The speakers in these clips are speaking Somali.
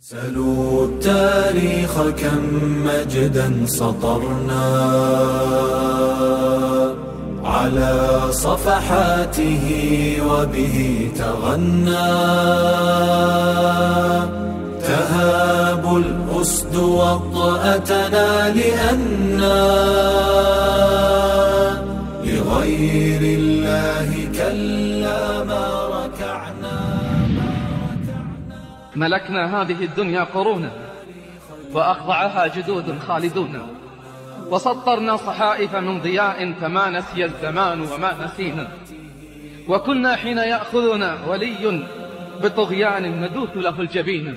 سلوا التاريخ كم مجدا سطرنا على صفحاته وبه تغنى تهاب الأسد وطأتنا لأنا لغير الله كلا ما ركعنا. ملكنا هذه الدنيا قرونا وأخضعها جدود خالدون، وسطرنا صحائف من ضياء فما نسي الزمان وما نسينا، وكنا حين يأخذنا ولي بطغيان ندوث له الجبين،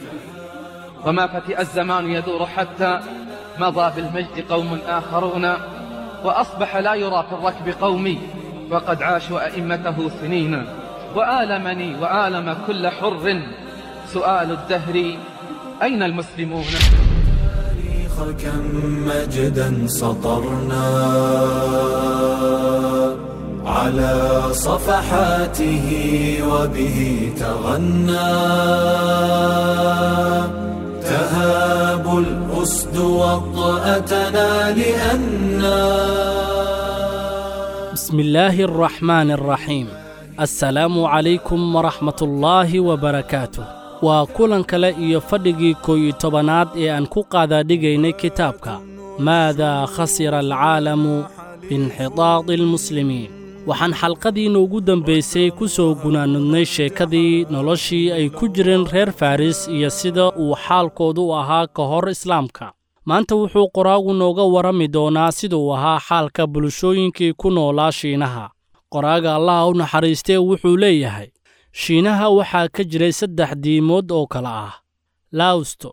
وما فتئ الزمان يدور حتى مضى بالمجد قوم آخرون، وأصبح لا يرى في الركب قومي وقد عاشوا أئمته سنين، وآلمني وآلم كل حر سؤال الدهر أين المسلمون؟ كم مجدا سطرنا على صفحاته وبه تغنى تهاب الأسد وطأتنا لأنا. بسم الله الرحمن الرحيم. السلام عليكم ورحمة الله وبركاته. Waa kulan kale iyo fadhigii 11aad ee aan ku qaadaadhigaynay kitaabka Maadaa khasira alcaalamu biinxitaadi almuslimiin. Waxaan xalqadiinna ugu dambaysay ku soo gunaanudnay sheekadii noloshii ay ku jireen reer Faris iyo sida uu xaalkoodu u ahaa ka hor islaamka. Maanta wuxuu qoraagu nooga warrami doonaa siduu ahaa xaalka bulshooyinkii ku noolaa Shiinaha. Qoraaga Allaha u naxariistee wuxuu leeyahay, Shiinaha waxaa ka jiray 3 diimood oo kala ah: Laosto,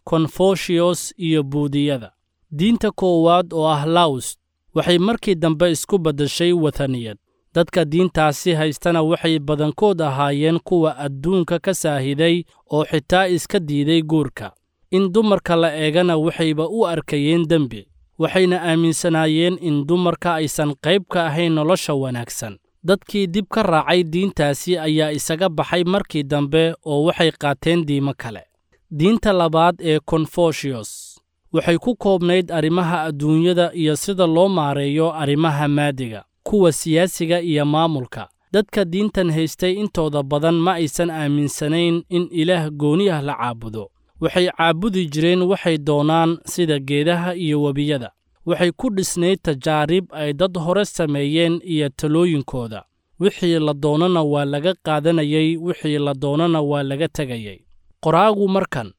Confucius iyo Buudiyada. Diinta koowaad oo ah Laost waxay markii dambe isku beddeshay wathaniyad. Dadka diintaasi haystana waxay badankood ahaayeen kuwa adduunka ka saahiday oo xitaa iska diiday guurka. In dumarka la eegana waxayba u arkayeen dembi, waxayna aaminsanaayeen in dumarka aysan qayb ka ahayn nolosha wanaagsan. Dadkii dib ka raacay diintaasi ayaa isaga baxay markii dambe oo waxay qaateen diimo kale. Diinta labaad ee Confucius waxay ku koobnayd arrimaha adduunyada iyo sida loo maareeyo arrimaha maadiga, kuwa siyaasiga iyo maamulka. Dadka diintan haystay intooda badan ma aysan aaminsanayn in ilaah gooni ah la caabudo. Waxay caabudi jireen waxay doonaan sida geedaha iyo webiyada. Waxay ku dhisnayd tajaarib ay dad hore sameeyeen iyo talooyinkooda. Wixii la doonana waa laga qaadanayay, wixii la doonana waa laga tegayay. Qoraagu markan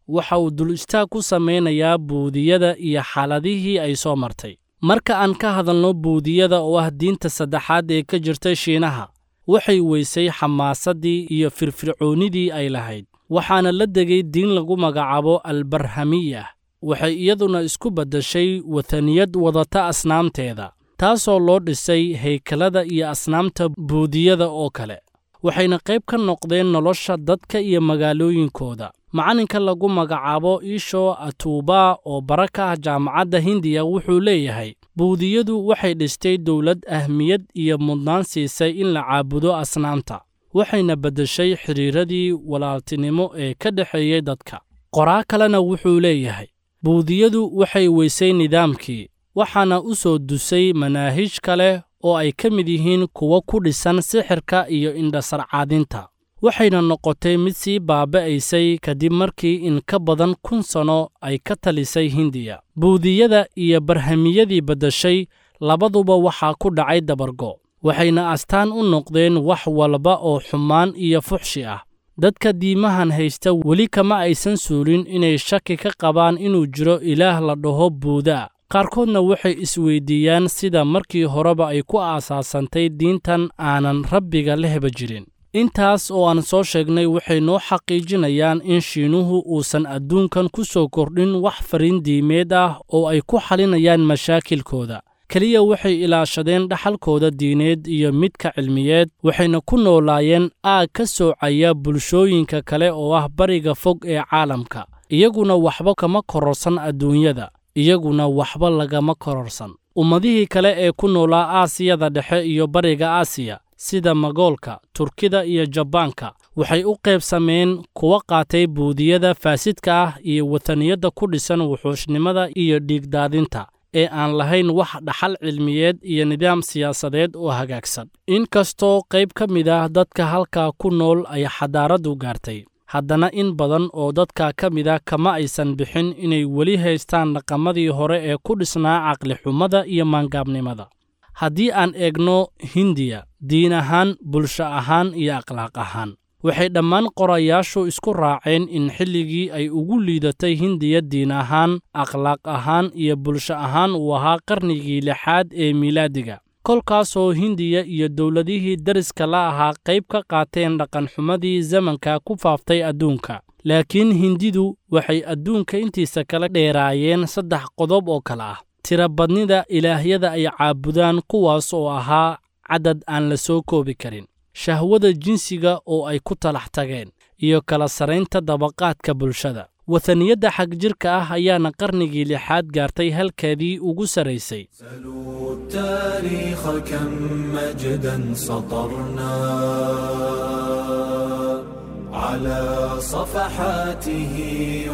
waxa uu dul istaag ku samaynayaa Buudiyada iyo xaaladihii ay soo martay. Marka aan ka hadalno Buudiyada oo ah diinta saddexaad ee ka jirtay Shiinaha, waxay weysay xamaasaddii iyo firfircoonidii ay lahayd, waxaana la degay diin lagu magacaabo Albarhamiyah. Waxay iyaduna isku beddeshay wathaniyad wadata asnaamteeda, taasoo loo dhisay haykalada iyo asnaamta Buudiyada oo kale. Waxayna qayb ka noqdeen nolosha dadka iyo magaalooyinkooda. Macalinka lagu magacaabo Isho Atuba oo bara ka ah jaamacadda Hindiya wuxuu leeyahay, Buudiyadu waxay dhistay dowlad ahmiyad iyo mudnaan siisay in la caabudo asnaamta, waxayna beddeshay xiriiradii walaaltinimo ee ka dhexeeyey dadka. Qoraa kalena wuxuu leeyahay, Buudiyadu waxay weysay nidaamkii, waxaana u soo dusay manaahij kale oo ay ka mid yihiin kuwo ku dhisan sixirka iyo indhasarcaadinta. Waxayna noqotay mid sii baaba'aysay kadib markii in ka badan 1000 sano ay ka talisay Hindiya. Buudiyada iyo Barhamiyadii beddeshay labaduba waxaa ku dhacay dabargo, waxayna astaan u noqdeen wax walba oo xumaan iyo fuxshi ah. Dadka diimahan haysta weli kama aysan suulin inay shaki ka qabaan inuu jiro ilaah la dhaho Buuda. Qaarkoodna waxay isweydiiyaan sida markii horeba ay ku aasaasantay diintan aanan rabbiga lehba jirin. Intaas oo aan soo sheegnay waxay noo xaqiijinayaan in Shiinuhu uusan adduunkan ku soo kordhin wax fariin diimeed ah oo ay ku xalinayaan mashaakilkooda. Keliya waxay ilaashadeen dhaxalkooda diineed iyo midka cilmiyeed, waxayna ku noolaayeen aag ka soocaya bulshooyinka kale oo ah bariga fog ee caalamka. Iyaguna waxba kama kororsan adduunyada, iyaguna waxba lagama kororsan. Ummadihii kale ee ku noolaa Aasiyada Dhexe iyo Bariga Aasiya sida Magoolka, Turkida iyo Jabaanka Waxay u qaybsameen kuwa qaatay buudiyada faasidka ah iyo wataniyadda ku dhisan wuxuushnimada iyo dhiigdaadinta ee aan lahayn wax dhaxal cilmiyeed iyo nidaam siyaasadeed oo hagaagsan. Inkastoo qayb ka mid ah dadka halkaa ku nool ay xadaaraddu gaartay, haddana in badan oo dadka ka mid ah kama aysan bixin inay weli haystaan dhaqamadii hore ee ku dhisnaa caqlixumada iyo maangaabnimada. Haddii aan eegno Hindiya diin ahaan, bulsho ahaan iyo akhlaaq ahaan, waxay dhammaan qorayaashu isku raaceen in xilligii ay ugu liidatay Hindiya diin ahaan, akhlaaq ahaan iyo bulsho ahaan uu ahaa qarnigii lixaad ee miilaadiga, kolkaasoo Hindiya iyo dowladihii dariska la ahaa qayb ka qaateen dhaqanxumadii zamanka ku faaftay adduunka. Laakiin Hindidu waxay adduunka intiisa kala dheeraayeen saddex qodob oo kale ah: tirabadnida ilaahyada ay caabudaan, kuwaas oo ahaa cadad aan la soo koobi karin, shahwada jinsiga oo ay ku talax tageen, iyo kala saraynta dabaqaadka bulshada. Wataniyadda xagjirka ah ayaana qarnigii lixaad gaartay halkeedii ugu saraysay. سلوا التاريخ كم مجدا سطرنا على صفحاته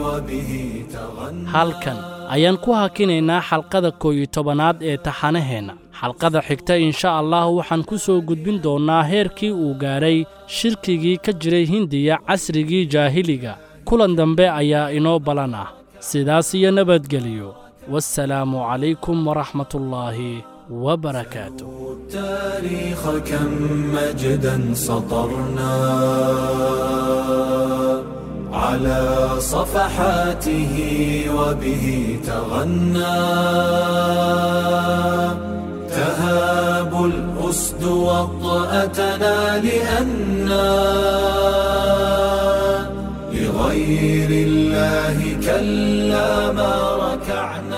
وبه تغنى. Halkan ayaan ku hakinaynaa xalqada 11aad ee taxanaheenna. Xalqada xigta insha Allah waxaan ku soo gudbin doonnaa heerkii uu gaadhay shirkigii ka jiray Hindiya casrigii jaahiliga. Kulan dambe ayaa inoo balan ah. Sidaas iyo nabadgeliyo. Wassalaamu calaykum waraxmatullaahi wabarakaatu. التاريخ كم مجدا سطرنا على صفحاته وبه تغنى. تهاب الأسد وطأتنا لأنا لغير الله كلا ما ركعنا.